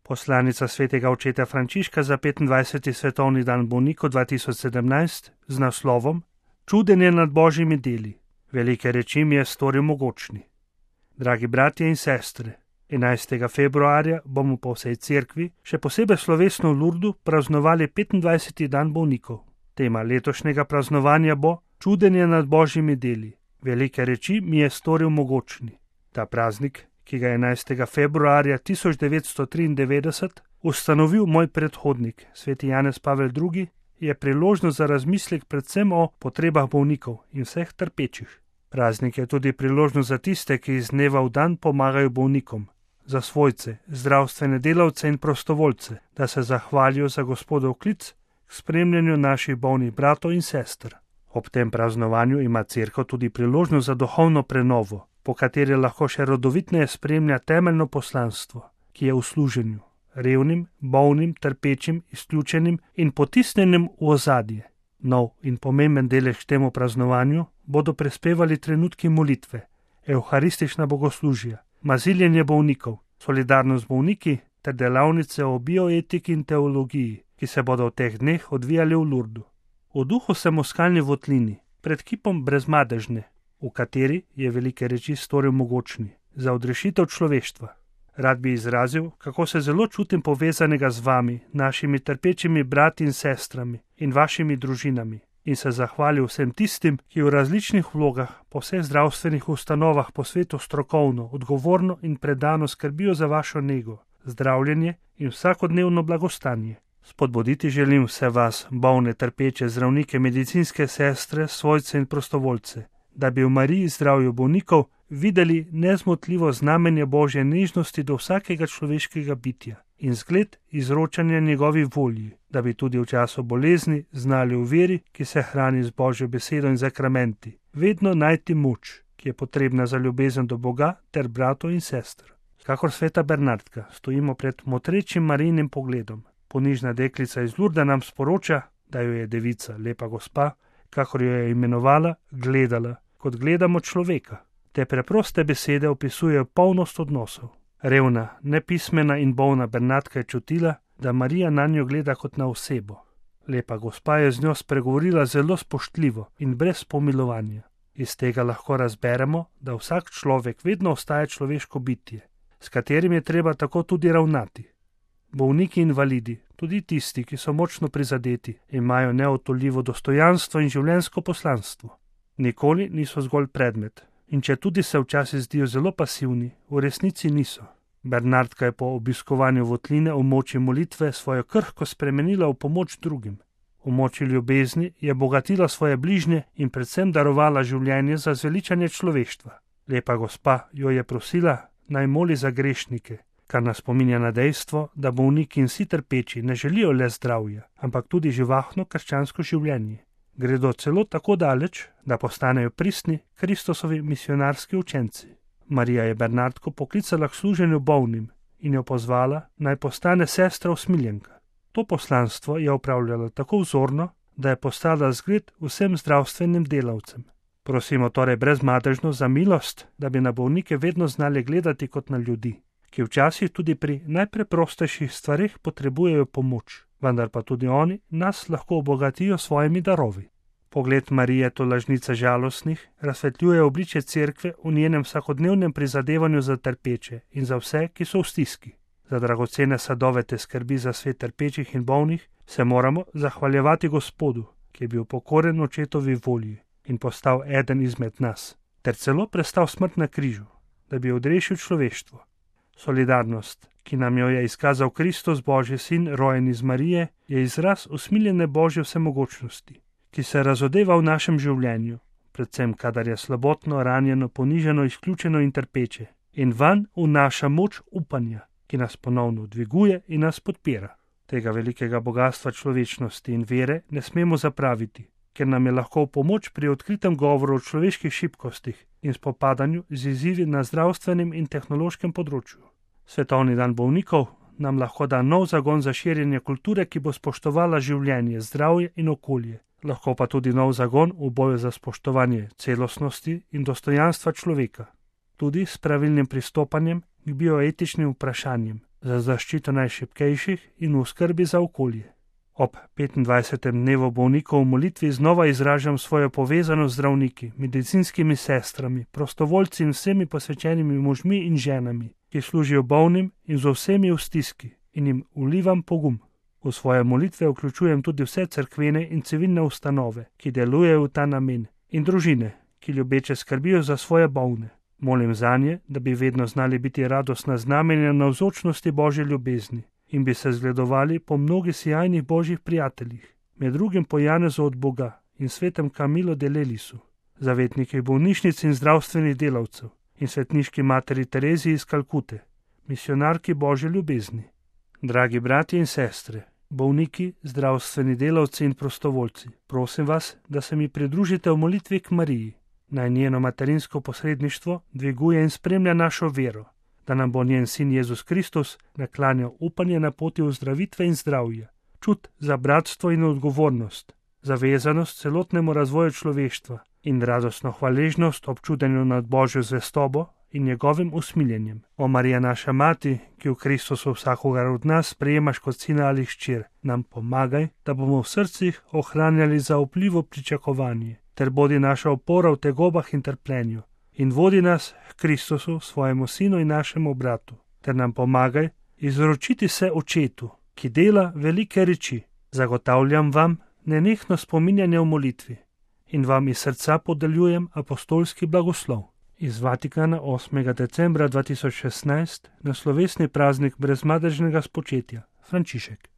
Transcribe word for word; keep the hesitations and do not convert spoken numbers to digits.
Poslanica svetega očeta Frančiška za petindvajseti svetovni dan bolnikov dva tisoč sedemnajst z naslovom Čudenje nad božjimi deli. Velike reči mi je storil mogočni. Dragi bratje in sestre, enajstega februarja bomo po vsej cerkvi, še posebej slovesno v Lurdu, praznovali petindvajseti dan bolnikov. Tema letošnjega praznovanja bo Čudenje nad božjimi deli. Velike reči mi je storil mogočni. Ta praznik, ki ga je enajstega februarja tisoč devetsto triindevetdeset ustanovil moj predhodnik, sveti Janez Pavel drugi, je priložnost za razmislek predvsem o potrebah bolnikov in vseh trpečih. Praznik je tudi priložnost za tiste, ki iz dneva v dan pomagajo bolnikom, za svojce, zdravstvene delavce in prostovoljce, da se zahvalijo za Gospodov klic k spremljanju naših bolnih bratov in sester. Ob tem praznovanju ima cerkev tudi priložnost za duhovno prenovo, po kateri lahko še rodovitneje spremlja temeljno poslanstvo, ki je v služenju, revnim, bolnim, trpečim, izključenim in potisnjenim v ozadje. Nov in pomemben delež k temu praznovanju bodo prispevali trenutki molitve, evharistična bogoslužja, maziljenje bolnikov, solidarnost z bolniki ter delavnice o bioetiki in teologiji, ki se bodo v teh dneh odvijali v Lurdu. V duhu sem v skalni votlini, pred kipom Brezmadežne, v kateri je velike reči storil mogočni, za odrešitev človeštva. Rad bi izrazil, kako se zelo čutim povezanega z vami, našimi trpečimi brati in sestrami in vašimi družinami, in se zahvalil vsem tistim, ki v različnih vlogah po vseh zdravstvenih ustanovah po svetu strokovno, odgovorno in predano skrbijo za vašo nego, zdravljenje in vsakodnevno blagostanje. Spodbuditi želim vse vas, bolne, trpeče, zdravnike, medicinske sestre, svojce in prostovoljce, da bi v Mariji zdravju bolnikov videli nezmotljivo znamenje Božje nežnosti do vsakega človeškega bitja in zgled izročanja njegovi volji, da bi tudi v času bolezni znali v veri, ki se hrani z Božjo besedo in zakramenti, vedno najti moč, ki je potrebna za ljubezen do Boga ter bratov in sester. Kakor sveta Bernardka, stojimo pred motrečim Marijinim pogledom. Ponižna deklica iz Lurda nam sporoča, da jo je devica, lepa gospa, kakor jo je imenovala, gledala, kot gledamo človeka. Te preproste besede opisujejo polnost odnosov. Revna, nepismena in bolna Bernardka je čutila, da Marija na njo gleda kot na osebo. Lepa gospa je z njo spregovorila zelo spoštljivo in brez pomilovanja. Iz tega lahko razberemo, da vsak človek vedno ostaja človeško bitje, s katerim je treba tako tudi ravnati. Bolniki in invalidi, tudi tisti, ki so močno prizadeti, imajo neodtoljivo dostojanstvo in življenjsko poslanstvo. Nikoli niso zgolj predmet, in če tudi se včasih zdijo zelo pasivni, v resnici niso. Bernardka je po obiskovanju votline v moči molitve svojo krhko spremenila v pomoč drugim. V moči ljubezni je bogatila svoje bližnje in predvsem darovala življenje za zveličanje človeštva. Lepa gospa jo je prosila, naj moli za grešnike, kar nas spominja na dejstvo, da bolniki in vsi trpeči ne želijo le zdravja, ampak tudi živahno krščansko življenje. Gredo celo tako daleč, da postanejo pristni Kristosovi misionarski učenci. Marija je Bernardko poklicala k služenju bolnim in jo pozvala, naj postane sestra usmiljenka. To poslanstvo je opravljala tako vzorno, da je postala zgled vsem zdravstvenim delavcem. Prosimo torej brezmadežno za milost, da bi na bolnike vedno znali gledati kot na ljudi, ki včasih tudi pri najpreprostejših stvareh potrebujejo pomoč, vendar pa tudi oni nas lahko obogatijo svojimi darovi. Pogled Marije, tolažnice žalostnih, razsvetljuje obličje cerkve v njenem vsakodnevnem prizadevanju za trpeče in za vse, ki so v stiski. Za dragocene sadove te skrbi za svet trpečih in bolnih se moramo zahvaljevati Gospodu, ki je bil pokoren očetovi volji in postal eden izmed nas, ter celo prestal smrt na križu, da bi odrešil človeštvo. Solidarnost, ki nam jo je izkazal Kristus, Božji sin, rojen iz Marije, je izraz usmiljene Božje vsemogočnosti, ki se razodeva v našem življenju, predvsem kadar je slabotno, ranjeno, poniženo, izključeno in trpeče, in vanj vnaša moč upanja, ki nas ponovno dviguje in nas podpira. Tega velikega bogatstva človečnosti in vere ne smemo zapraviti, ker nam je lahko v pomoč pri odkritem govoru o človeških šibkostih in spopadanju z izzivi na zdravstvenem in tehnološkem področju. Svetovni dan bolnikov nam lahko da nov zagon za širjenje kulture, ki bo spoštovala življenje, zdravje in okolje, lahko pa tudi nov zagon v boju za spoštovanje celostnosti in dostojanstva človeka, tudi s pravilnim pristopanjem k bioetičnim vprašanjem, za zaščito najšibkejših in v skrbi za okolje. Ob petindvajsetem dnevu bolnikov v molitvi znova izražam svojo povezanost z zdravniki, medicinskimi sestrami, prostovoljci in vsemi posvečenimi možmi in ženami, ki služijo bolnim in z vsemi v stiski, in jim vlivam pogum. V svoje molitve vključujem tudi vse cerkvene in civilne ustanove, ki delujejo v ta namen, in družine, ki ljubeče skrbijo za svoje bolne. Molim zanje, da bi vedno znali biti radostna znamenja navzočnosti Božje ljubezni in bi se zgledovali po mnogih sjajnih božjih prijateljih, med drugim po Janezu od Boga in svetem Camilo de Lelisu, zavetnikih bolnišnic in zdravstvenih delavcev in svetniški materi Tereziji iz Kalkute, misionarki Božje ljubezni. Dragi bratje in sestre, bolniki, zdravstveni delavci in prostovoljci, prosim vas, da se mi pridružite v molitvi k Mariji. Naj njeno materinsko posredništvo dviguje in spremlja našo vero, da nam bo njen sin Jezus Kristus naklanjal upanje na poti ozdravitve in zdravja, čut za bratstvo in odgovornost, zavezanost celotnemu razvoju človeštva in radostno hvaležnost občudenju nad Božjo zvestobo in njegovim usmiljenjem. O Marija naša mati, ki v Kristusu vsakogar od nas sprejemaš kot sina ali hčer, nam pomagaj, da bomo v srcih ohranjali zaupljivo pričakovanje, ter bodi naša opora v tegobah in trpljenju, in vodi nas k Kristusu, svojemu sinu in našemu bratu, ter nam pomagaj izročiti se očetu, ki dela velike reči. Zagotavljam vam nenehno spominjanje v molitvi in vam iz srca podeljujem apostolski blagoslov. Iz Vatikana osmega decembra dva tisoč šestnajst na slovesni praznik brezmadežnega spočetja, Frančišek.